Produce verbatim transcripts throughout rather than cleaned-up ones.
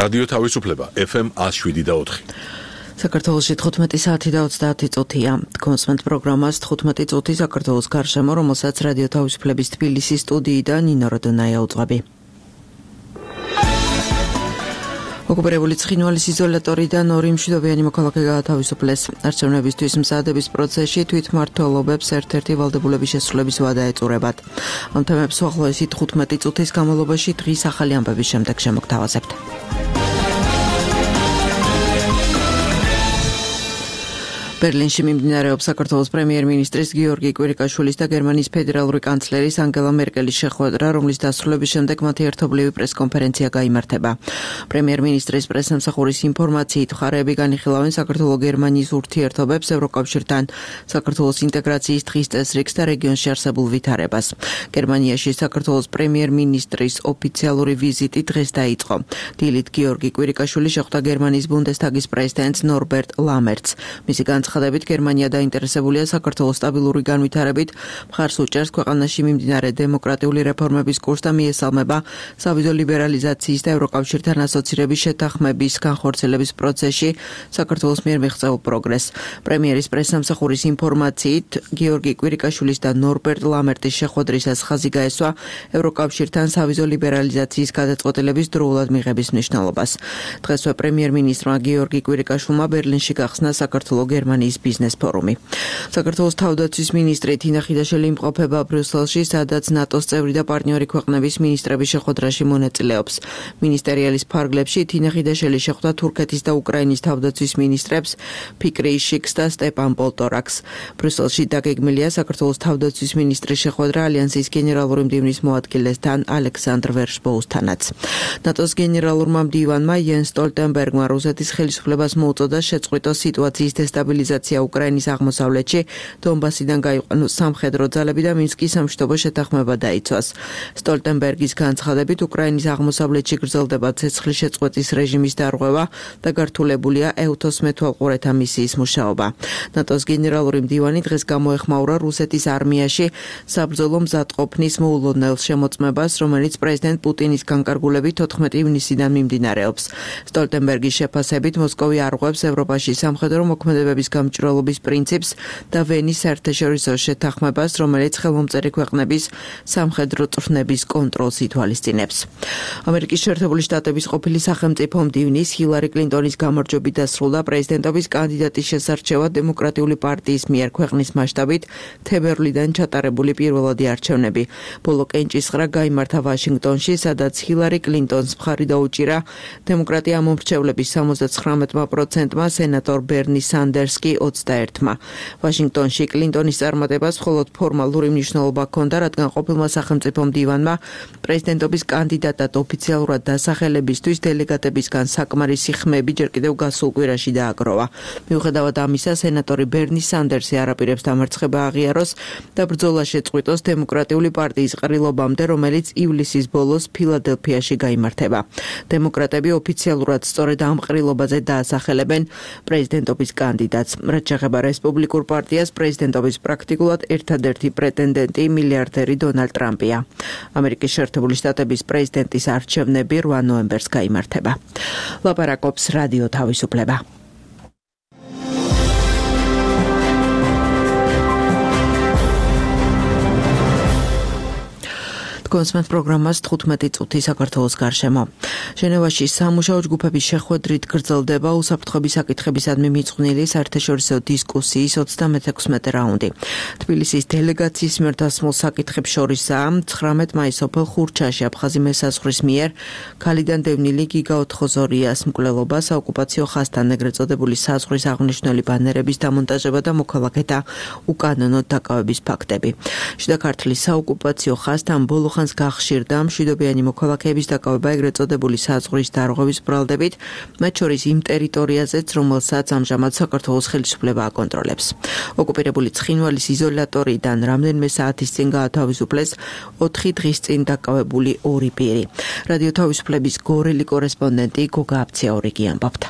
რადიო თავისუფლება ეფ ემ one oh seven და four. საქართველოში თხუთმეტი საათი და ოცდაათი წუთია. კონსმენტ პროგრამას თხუთმეტი წუთი საქართველოს გარშემო, რომელსაც რადიო თავისუფლების თბილისის სტუდიიდან ნინო როდონაია უძღვები. ოკუპირებული ცხინვალის იზოლატორიდან ორი მშვიდობიანი მოქალაქე გაათავისუფლეს. არჩევნებისთვის მზადების პროცესში თვითმმართველობებს ერთ-ერთი ვალდებულების შესრულების ვადა ეწურებათ. ამ თემებს უახლოესი თხუთმეტი წუთის განმავლობაში დღის ახალი ამბების შემდეგ შემოგთავაზებთ. ბერლინში მიმდინარეობს საქართველოს პრემიერ-მინისტრის გიორგი კვირიკაშვილის და გერმანიის ფედერალური კანცლერის ანგელა მერკელის შეხვედრა, რომლის დასრულების შემდეგ მათი ერთობლივი პრესკონფერენცია გაიმართება. პრემიერ-მინისტრის პრესსამსახურის ინფორმაციით, მხარეები განიხილავენ საქართველო-გერმანიის ურთიერთობებს, ევროკავშირთან, საქართველოს ინტეგრაციის დღის წესრიგს და რეგიონში არსებულ ვითარებას. გერმანიაში საქართველოს პრემიერ-მინისტრის ოფიციალური ვიზიტი დღეს დაიწყო. დილით გიორგი კვირიკაშვილი შეხვდა გერმანიის ბუნდესტაგის პრეზიდენტს ნორბერტ ლამერტს. მისი ხადებით გერმანია დაინტერესებულია საქართველოს სტაბილური განვითარებით, მხარს უჭერს ქვეყანაში მიმდინარე დემოკრატიული რეფორმების კურსს და მიესალმება სავიზო ლიბერალიზაციის და ევროკავშირთან ასოცირების შეთანხმების განხორციელების პროცესში საქართველოს მიერ მიღწეულ პროგრესს. პრემიერის პრესსამსახურის ინფორმაციით, გიორგი კვირიკაშვილის და ნორბერტ ლამერტის შეხვედრისას ხაზი გაესვა ევროკავშირთან სავიზო ლიბერალიზაციის გადაწყვეტილების დროულად მიღების მნიშვნელობას. დღესვე პრემიერ-მინისტრმა გიორგი კვირიკაშვილმა ბერლინში გახსნა საქართველო-გერმანიის ბიზნეს ფორუმი. საქართველოს თავდაცვის მინისტრი თინა ხიდაშელი იმყოფება ბრიუსელში, სადაც ნატოს წევრი და პარტნიორი ქვეყნების მინისტრების შეხვედრაში მონაწილეობს. მინისტერიალის ფარგლებში თინა ხიდაშელი შეხვდა თურქეთის და უკრაინის თავდაცვის მინისტრებს ფიქრი იშიქს და სტეპან პოლტორაკს. ბრიუსელში დაგეგმილია საქართველოს თავდაცვის მინისტრის შეხვედრა ალიანსის გენერალური მდივნის მოადგილესთან ალექსანდრ ვერშბოუსთანაც. ნატოს გენერალურმა მდივანმა იენს სტოლტენბერგმა რუსეთის ხელისუფლებას მოუწოდა შეწყვიტოს სიტუაციის დესტაბილიზაცია უკრაინის აღმოსავლეთში, დონბასიდან გაიყვანოს სამხედრო ძალები და მინსკის სამშვიდობო შეთანხმება დაიცვას. სტოლტენბერგის განცხადებით, უკრაინის აღმოსავლეთში გრძელდება ცეცხლის შეწყვეტის რეჟიმის დარღვევა და გართულებულია ეუთოს მეთვალყურეთა მისიის მუშაობა. ნატოს გენერალური მდივანი დღეს გამოეხმაურა რუსეთის არმიაში საბრძოლო მზადყოფნის მოულოდნელ შემოწმებას, რომელიც პრეზიდენტ პუტინის განკარგულებით თოთხმეტი ივნისიდან მიმდინარეობს. სტოლტენბერგის შეფასებით, მოსკოვი არღვევს ევროპაში სამხედრო მოქმედებების გამჭვირვალობის პრინციპს და ვენის საერთაშორისო შეთანხმებას, რომელიც ხელმომწერი ქვეყნების სამხედრო წვრთნების კონტროლს ითვალისწინებს. ამერიკის შეერთებული შტატების ყოფილი სახელმწიფო მდივნის ჰილარი კლინტონის გამარჯვებით დასრულდა პრეზიდენტობის კანდიდატის შესარჩევა დემოკრატიული პარტიის მიერ ქვეყნის მასშტაბით თებერვლიდან ჩატარებული პირველადი არჩევნები. ბოლო კენჭისყრა გაიმართა ვაშინგტონში, სადაც ჰილარი კლინტონს მხარი დაუჭირა დემოკრატია მომრჩევლების სამოცდათხრამეტ პროცენტმა, სენატორ ბერნი სანდერს კი ოცდაერთმა. ვაშინგტონში კლინტონის წარმატებას მხოლოდ ფორმალური მნიშვნელობა ჰქონდა, რადგან ყოფილმა სახელმწიფო მდივანმა პრეზიდენტობის კანდიდატად ოფიციალურად დასახელებისთვის დელეგატებისგან საკმარისი ხმები ჯერ კიდევ გასულ კვირაში დააგროვა. მიუხედავად ამისა, სენატორი ბერნი სანდერსი არაპირებს დამარცხება აღიაროს და ბრძოლა შეწყვიტოს დემოკრატიული პარტიის ყრილობამდე, რომელიც ივლისის ბოლოს ფილადელფიაში გაიმართება. დემოკრატები ოფიციალურად სწორედ ამ ყრილობაზე დაასახელებენ პრეზიდენტობის კანდიდატს. რაც შეეხება რესპუბლიკურ პარტიას, პრეზიდენტობის პრაქტიკულად ერთადერთი პრეტენდენტი მილიარდერი დონალდ ტრამპია. ამერიკის შეერთებული შტატების პრეზიდენტის არჩევნები რვა ნოემბერს გაიმართება. ლაპარაკობს რადიო თავისუფლება. კონსმენტ პროგრამას თხუთმეტი წუთი საქართველოს გარშემო. ჟენევაში სამუშაო ჯგუფების შეხვედრით გრძელდება უსაფრთხოების საკითხებისადმი მიძღვნილი საერთაშორისო დისკუსიის ოცდამეექვსმეტე რაუნდი. თბილისის დელეგაციის მიერ დასმულ საკითხებს შორისაა ცხრამეტ მაისს სოფელ ხურჩაში აფხაზი მესაზღვრის მიერ ქალიდან დევნილი გიგა ოთხოზორიას მკვლელობა, საოკუპაციო ხაზთან ეგრეთ წოდებული საზღვრის აღნიშნული ბანერების დამონტაჟება და მოქალაქეთა უკანონო დაკავების ფაქტები. შიდა ქართლის საოკუპაციო ხაზთან ბოლო გახშირდა მშვიდობიანი მოქალაქეების დაკავება ეგრეთ წოდებული საზღვრის დარღვევის ბრალდებით, მათ შორის იმ ტერიტორიაზეც, რომელსაც ამჟამად საქართველოს ხელისუფლება აკონტროლებს. ოკუპირებული ცხინვალის იზოლატორიდან რამდენიმე საათის წინ გაათავისუფლეს ოთხი დღის წინ დაკავებული ორი პირი. რადიო თავისუფლების გორელი კორესპონდენტი გოგა აფციაურიგი ამბობდა.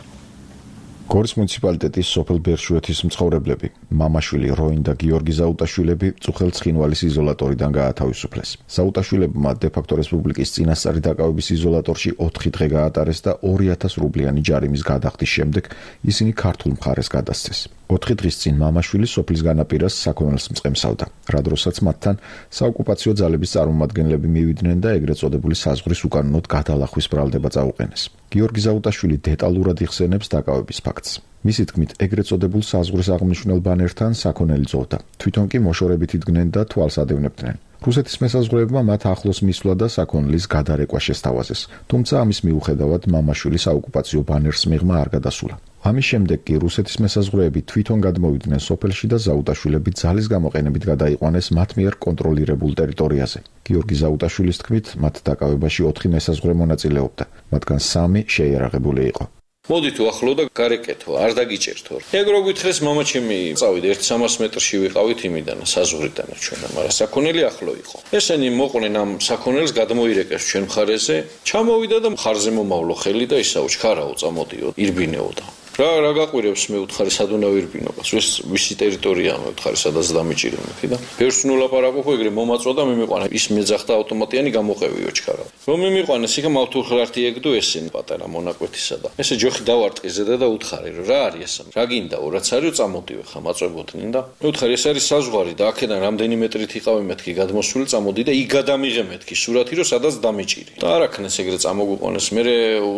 გორის მუნიციპალიტეტის სოფელ ბერშუეთის მცხოვრებლები მამაშვილი როინ და გიორგი ზაუტაშვილები წუხელ ცხინვალის იზოლატორიდან გაათავისუფლეს. ზაუტაშვილებმა დე-ფაქტო რესპუბლიკის წინასწარი დაკავების იზოლატორში ოთხი დღე გაატარეს და ორი ათას რუბლიანი ჯარიმის გადახდის შემდეგ ისინი ქართულ მხარეს გადასცეს. ოთხი დღის წინ მამაშვილი სოფლის განაპირას საქონელს მწყემსავდა, რა დროსაც მათთან საოკუპაციო ძალების წარმომადგენლები მივიდნენ და ეგრეთ წოდებული საზღვრის უკანონოდ გადალახვის ბრალდება წაუყენეს. გიორგი ზაუტაშვილი დეტალურად იხსენებს დაკავების ფაქტს. მისი თქმით, ეგრეთ წოდებულ საზღვრის აღმნიშვნელ ბანერთან საქონელი წოვდა. თვითონ კი მოშორებით იდგნენ და თვალს ადევნებდნენ. რუსეთის მესაზღვრეებმა მათ ახლოს მისვლა და საქონლის გადარეკვა შესთავაზეს. თუმცა ამის მიუხედავად მამაშვილი საოკუპაციო ბანერს მიღმა არ გადასულა. ამის შემდეგ კი რუსეთის მესაზღვრეები თვითონ გადმოვიდნენ სოფელში და ზაუტაშვილები ძალის გამოყენებით გადაიყვანეს მათ მიერ კონტროლირებულ ტერიტორიაზე. გიორგი ზაუტაშვილის თქმით, მათ დაკავებაში ოთხი მესაზღვრე მონაწილეობდა, მათგან სამი შეიარაღებული იყო. მოდით უახლო და გარეკეთო, არ დაგიჭერთო. ეგ რო გითხრეს, მამაჩემი წავიდა ერთ სამას მეტრში ვიყავით იმიდან, საზღვრიდან ჩვენ, მაგრამ საქონელი ახლო იყო. ესენი მოყვნენ ამ საქონელს გადმოირეკეს ჩვენ მხარეზე, ჩამოვიდა და მხარზე მომავლო ხელი და ისაო ჩქარაო წამოდიო, ირბინეოდა. რა რა გაყვირებს მე უთხარი სადუნავირბინობას ეს ვისი ტერიტორიაა მე უთხარი სადაც დამიჭირებდი და ფერს ნულაპარაკობ ეგრე მომაწვა და მე მიყვანა ის მეძახდა ავტომატიანი გამოყევიო ჩქარა რომ მე მიყვანეს იქ მავთურხლართი ეგდო ესენი პატარა მონაკვეთისა და ესე ჯოხი დავარტყი ზედა და უთხარი რომ რა არის ეს რა გინდაო რაც არისო წამოდივე ხა მაწვებოდნენ და მე უთხარი ეს არის საზღვარი და აქედან რამდენი მეტრით იყავი მეთქი გადმოსული წამოდი და იქ გადამიღე მეთქი სურათი რომ სადაც დამიჭირი და არ აქნეს ეგრე წამოგვიყვანეს მე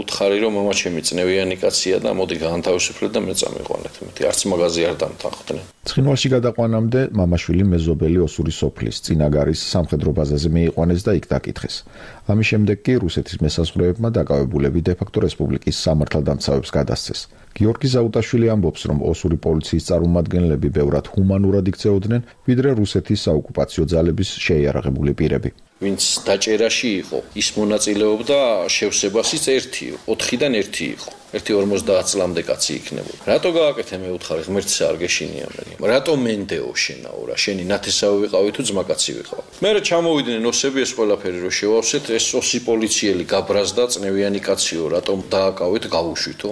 უთხარი რომ მამაჩემი წნევიანი კაცია და მოდი თავისუფლად და მე წამიყვანეთ. მეთი არც მაღაზი არ დამთანხდნენ. ცხინვალში გადაყვანამდე მამაშვილი მეზობელი ოსური სოფლის წინაგარის სამხედრო ბაზაზე მიიყვანეს და იქ დაკითხეს. ამის შემდეგ კი რუსეთის მესაზღვრეებმა დაკავებულები დე-ფაქტო რესპუბლიკის სამართალდამცავებს გადასცეს. გიორგი ზაუტაშვილი ამბობს, რომ ოსური პოლიციის წარმომადგენლები ბევრად ჰუმანურად იქცეოდნენ, ვიდრე რუსეთის საოკუპაციო ძალების შეიარაღებული პირები. ვინც დაჭერაში იყო, ის მონაწილეობდა შევსებასიც ერთი, ოთხიდან ერთი იყო. ერთი ორმოცდაათ წლამდე კაცი იქნებოდა. რატო გააკეთე მე უთხარი, ღმერთს არ გეშინია მე. რატო მენდეო შენაო რა, შენი ნათესავი ვიყავი თუ ძმაკაცი ვიყავი. მე რა ჩამოვიდნენ ოსები ეს ყველაფერი რო შევავსეთ, ეს ოსი პოლიციელი გაბრაზდა წნევიანი კაციო, რატომ დააკავეთ გავუშვითო.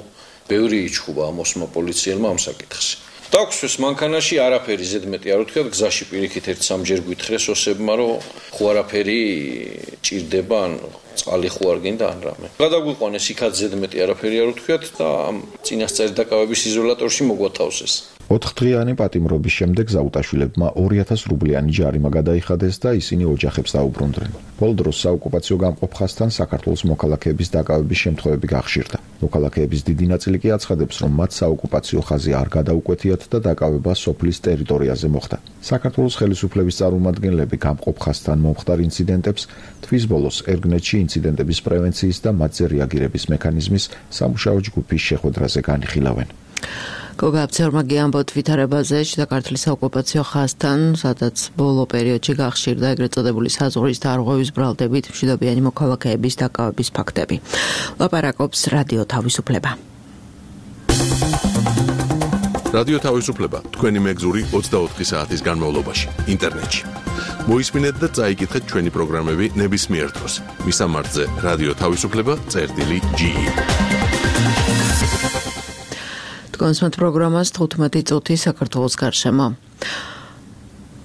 ბევრი იჩხუბა ამ ოსმა პოლიციელმა ამ საკითხს. დაგვსვეს მანქანაში არაფერი ზედმეტი არ ვთქვათ, გზაში პირიქით ერთ სამჯერ გვითხრეს ოსებმა, რომ ხო არაფერი ჭირდება, ან წყალი ხო არ გინდა ან რამე. გადაგვიყვანეს იქაც ზედმეტი არაფერი არ ვთქვათ და ამ წინასწარი დაკავების იზოლატორში მოგვათავსეს. ოთხდღიანი პატიმრობის შემდეგ ზაუტაშვილებმა ორი ათას რუბლიანი ჯარიმა გადაიხადეს და ისინი ოჯახებს დაუბრუნდნენ. ბოლო დროს საოკუპაციო გამყოფხასთან საქართველოს მოქალაქეების დაკავების შემთხვევები გახშირდა. მოქალაქეების დიდი ნაწილი კი აცხადებს, რომ მათ საოკუპაციო ხაზი არ გადაუკვეთიათ და დაკავება სოფლის ტერიტორიაზე მოხდა. საქართველოს ხელისუფლების წარმომადგენლები გამყოფხასთან მომხდარ ინციდენტებს თვის ბოლოს ერგნეთში ინციდენტების პრევენციის და მათზე რეაგირების მექანიზმის სამუშაო ჯგუფის შეხვედრაზე განიხილავენ. გოგა აბცერმაგი ამბობთ ვითარებაზე შიდა ქართლის საოკუპაციო ხაზთან, სადაც ბოლო პერიოდში გახშირდა ეგრეთ წოდებული საზღვრის დარღვევის ბრალდებით მშვიდობიანი მოქალაქეების დაკავების ფაქტები. ლაპარაკობს რადიო თავისუფლება. რადიო თავისუფლება თქვენი მეგზური ოცდაოთხი საათის განმავლობაში ინტერნეტში. მოისმინეთ და წაიკითხეთ ჩვენი პროგრამები ნებისმიერ დროს. მისამართზე რადიო თავისუფლება წერტილი ჯი ი. კონსმათ პროგრამას თხუთმეტი წუთი საქართველოს გარშემო.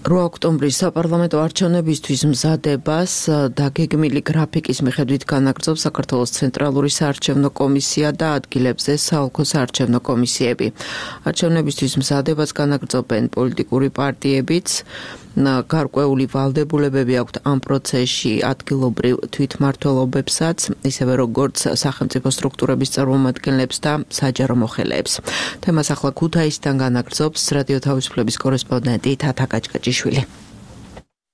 რვა ოქტომბრის საპარლამენტო არჩევნებისთვის მზადებას დაგეგმილი გრაფიკის მიხედვით განაგრძობს საქართველოს ცენტრალური საარჩევნო კომისია და ადგილებზე საოლქო საარჩევნო კომისიები. არჩევნებისთვის მზადებას განაგრძობენ პოლიტიკური პარტიებიც. გარკვეული ვალდებულებები აქვთ ამ პროცესში ადგილობრივ თვითმმართველობებსაც, ისევე როგორც სახელმწიფო სტრუქტურების წარმომადგენლებს და საჯარო მოხელეებს. თემას ახლა ქუთაისიდან განაგრძობს რადიო თავისუფლების კორესპონდენტი თათა კაჭკაჭიშვილი.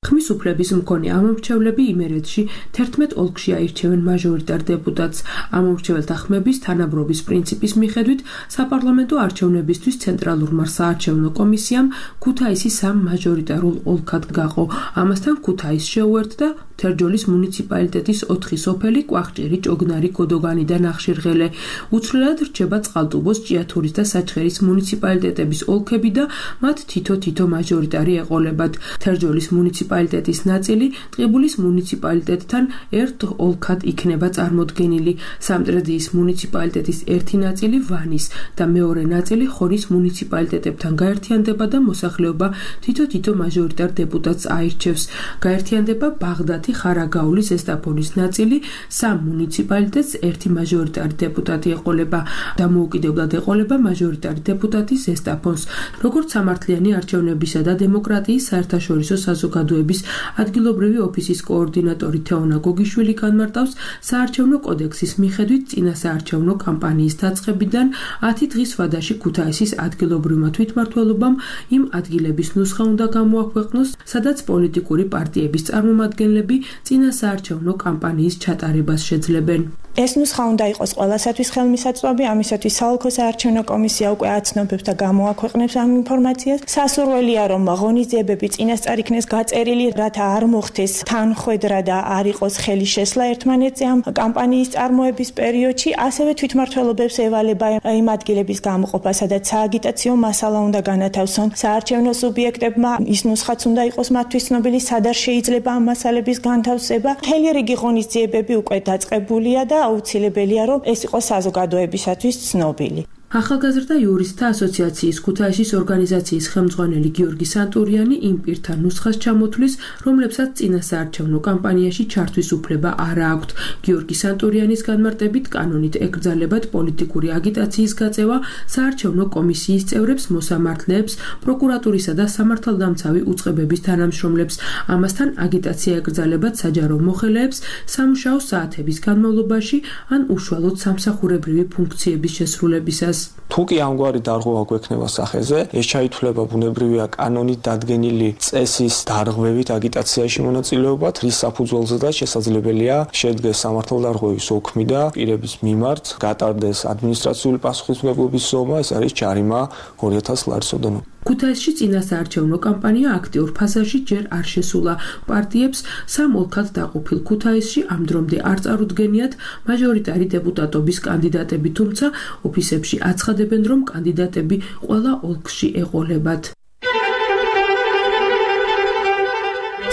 ხმის უფლების მქონე ამომრჩევლები იმერეთში თერთმეტ ოლქში აირჩევენ მაჟორიტარ დეპუტატს. ამომრჩეველთა ხმების თანაბრობის პრინციპის მიხედვით საპარლამენტო არჩევნებისთვის ცენტრალურმა საარჩევნო კომისიამ ქუთაისი სამ მაჟორიტარულ ოლქად გაყო. ამასთან ქუთაისს შეუერთდა თერჯოლის მუნიციპალიტეტის ოთხი სოფელი კვახჭერი, ჭოგნარი, გოდოგანი და ნახშირღელე. უცვლელად რჩება წყალტუბოს, ჭიათურის და საჩხერის მუნიციპალიტეტების ოლქები და მათ თითო-თითო მაჟორიტარი ეყოლებათ. თერჯოლის მუნიციპალიტეტის ნაწილი ტყიბულის მუნიციპალიტეტთან ერთ ოლქად იქნება წარმოდგენილი. სამტრედიის მუნიციპალიტეტის ერთი ნაწილი ვანის და მეორე ნაწილი ხონის მუნიციპალიტეტებთან გაერთიანდება და მოსახლეობა თითო-თითო მაჟორიტარ დეპუტატს აირჩევს. გაერთიანდება ბაღდათი, ხარაგაული, ზესტაფონის ნაწილი, სამ მუნიციპალიტეტს ერთი მაჟორიტარი დეპუტატი ეყოლება. დამოუკიდებლად ეყოლება მაჟორიტარი დეპუტატი ზესტაფონს. როგორც სამართლიანი არჩევნებისა და დემოკრატიის საერთაშორისო საზოგადოების ადგილობრივი ოფისის კოორდინატორი თეონა გოგიშვილი განმარტავს, საარჩევნო კოდექსის მიხედვით წინა საარჩევნო კამპანიის დაწყებიდან ათი დღის ვადაში ქუთაისის ადგილობრივმა თვითმმართველობამ იმ ადგილების ნუსხა უნდა გამოაქვეყნოს, სადაც პოლიტიკური პარტიების წარმომადგენლები წინა საარჩევნო კამპანიის ჩატარებას შეძლებენ. ეს ნუსხა უნდა იყოს ყველასათვის ხელმისაწვდომი, ამისათვის საოლქო საარჩევნო კომისია უკვე აცნობებს და გამოაქვეყნებს ამ ინფორმაციას. სასურველია, რომ ღონისძიებები წინასწარ იქნეს გაწერილი, რათა არ მოხდეს თანხვედრა და არ იყოს ხელი შესლა ერთმანეთზე ამ კამპანიის წარმოების პერიოდში. ასევე თვითმმართველობებს ევალება იმ ადგილების გამოყოფა, სადაც სააგიტაციო მასალა უნდა განათავსონ საარჩევნო სუბიექტებმა. ის ნუსხაც უნდა იყოს მათთვის ცნობილი, სადაც შეიძლება ამ მასალების განთავსება. მთელი რიგი ღონისძიებები უკვე დაწყებულია და აუცილებელია, რომ ეს იყოს საზოგადოებისათვის ცნობილი. ახალგაზრდა იურისტთა ასოციაციის ქუთაისის ორგანიზაციის ხელმძღვანელი გიორგი სანტურიანი იმ პირთა ნუსხას ჩამოთვლის, რომლებსაც წინა საარჩევნო კამპანიაში ჩართვის უფლება არ აქვთ. გიორგი სანტურიანის განმარტებით, კანონით ეკრძალებათ პოლიტიკური აგიტაციის გაწევა საარჩევნო კომისიის წევრებს, მოსამართლეებს, პროკურატურისა და სამართალდამცავი უწყებების თანამშრომლებს. ამასთან აგიტაცია ეკრძალებათ საჯარო მოხელეებს სამუშაო საათების განმავლობაში ან უშუალოდ სამსახურებრივი ფუნქციების შესრულებისას. თუ კი ამგვარი დარღვევა გვექნება სახეზე, ეს ჩაითვლება ბუნებრივია კანონით დადგენილი წესის დარღვევით აგიტაციაში მონაწილეობად, რის საფუძველზედაც შესაძლებელია შედგეს სამართალდარღვევის ოქმი და პირების მიმართ გატარდეს ადმინისტრაციული პასუხისმგებლობის ზომა, ეს არის ჯარიმა ორი ათას ლარის ოდენობით. ქუთაისში წინა საარჩევნო კამპანია აქტიურ ფაზაში ჯერ არ შესულა. პარტიებს სამ ოლქად დაყოფილ ქუთაისში ამ დრომდე არ წარუდგენიათ მაჟორიტარი დეპუტატობის კანდიდატები, თუმცა ოფისებში აცხადებენ, რომ კანდიდატები ყველა ოლქში ეყოლებათ.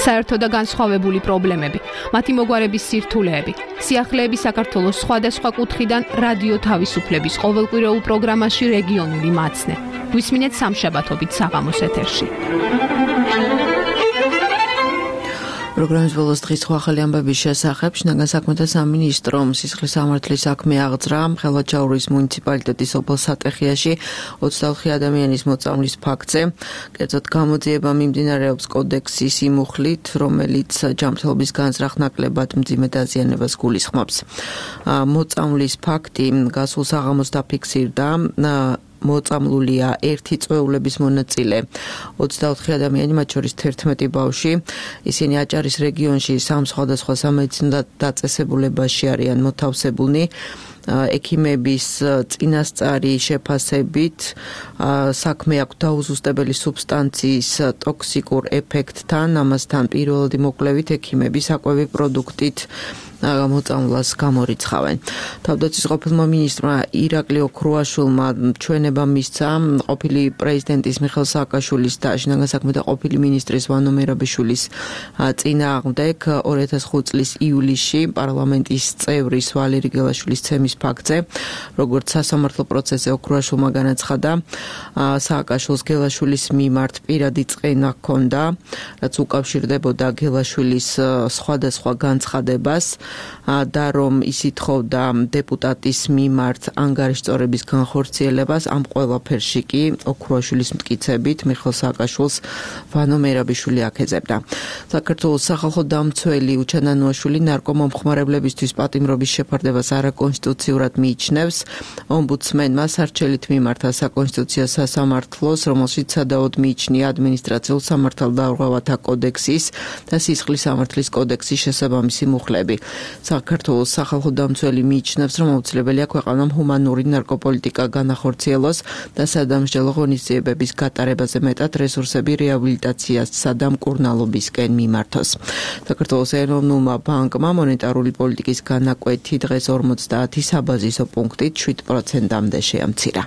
საერთო და განსხვავებული პრობლემები, მათი მოგვარების სირთულეები, სიახლეები საქართველოს სხვადასხვა კუთხიდან რადიო თავისუფლების ყოველკვირეულ პროგრამაში რეგიონული მაცნე. გვისმინეთ სამშაბათობით საღამოს ეთერში. პროგრამის ბოლოს დღის სხვა ახალი ამბების შესახებ შინაგან საქმეთა სამინისტრომ სისხლის სამართლის საქმე აღძრა ხელვაჩაურის მუნიციპალიტეტის ობოლ სატეხიაში ოცდაოთხი ადამიანის მოწამვლის ფაქტზე. კერძოდ გამოძიება მიმდინარეობს კოდექსის იმ მუხლით, რომელიც ჯანმრთელობის განზრახ ნაკლებად მძიმე დაზიანებას გულისხმობს. მოწამვლის ფაქტი გასულ საღამოს დაფიქსირდა. მოწამლულია ერთი წვეულების მონაწილე ოცდაოთხი ადამიანი, მათ შორის თერთმეტი ბავშვი. ისინი აჭარის რეგიონში სამ სხვადასხვა სამედიცინო დაწესებულებაში არიან მოთავსებულნი. ექიმების წინასწარი შეფასებით საქმე აქვს დაუზუსტებელი სუბსტანციის ტოქსიკურ ეფექტთან, ამასთან პირველადი მოკვლევით ექიმები საკვები პროდუქტით მოწამვლას გამორიცხავენ. თავდაცვის ყოფილმა მინისტრმა ირაკლი ოქრუაშვილმა ჩვენება მისცა ყოფილი პრეზიდენტის მიხეილ სააკაშვილის და შინაგან საქმეთა ყოფილი მინისტრის ვანო მერაბიშვილის წინააღმდეგ ორი ათას ხუთი წლის ივლისში პარლამენტის წევრის ვალერი გელაშვილის ცემის ფაქტზე, როგორც სასამართლო პროცესზე ოქრუაშვილმა განაცხადა, სააკაშვილს გელაშვილის მიმართ პირადი წყენა ჰქონდა, რაც უკავშირდებოდა გელაშვილის სხვადასხვა განცხადებას და რომ ის ითხოვდა დეპუტატის მიმართ ანგარიშწორების განხორციელებას. ამ ყველაფერში კი ოქრუაშვილის მტკიცებით მიხეილ სააკაშვილს ვანო მერაბიშვილი აქეზებდა. საქართველოს სახალხო დამცველი უჩანანუაშვილი ნარკომომხმარებლებისთვის პატიმრობის შეფარდებას არაკონსტიტუციურად მიიჩნევს. ომბუდსმენმა სარჩელით მიმართა საკონსტიტუციო სასამართლოს, რომელშიც სადავოდ მიიჩნია ადმინისტრაციულ სამართალდარღვევათა კოდექსის და სისხლის სამართლის კოდექსის შესაბამისი მუხლები. საქართველოს სახალხო დამცველი მიიჩნევს, რომ აუცილებელია ქვეყანამ ჰუმანური ნარკოპოლიტიკა განახორციელოს და სადამსჯელო ღონისძიებების გატარებაზე მეტად რესურსები რეაბილიტაციასა და მკურნალობისკენ მიმართოს. საქართველოს ეროვნულმა ბანკმა მონეტარული პოლიტიკის განაკვეთი დღეს ორმოცდაათი საბაზისო პუნქტით შვიდ პროცენტამდე შეამცირა.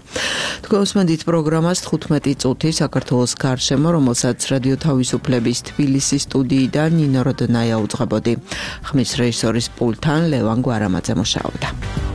თქვენ უსმენთ პროგრამას თხუთმეტი წუთი საქართველოს გარშემო, რომელსაც რადიო თავისუფლების თბილისის სტუდიიდან ნინო როდნაია უძღვებოდი. ხმის რეჟისორის პულტთან ლევან გვარამაძე მუშაობდა.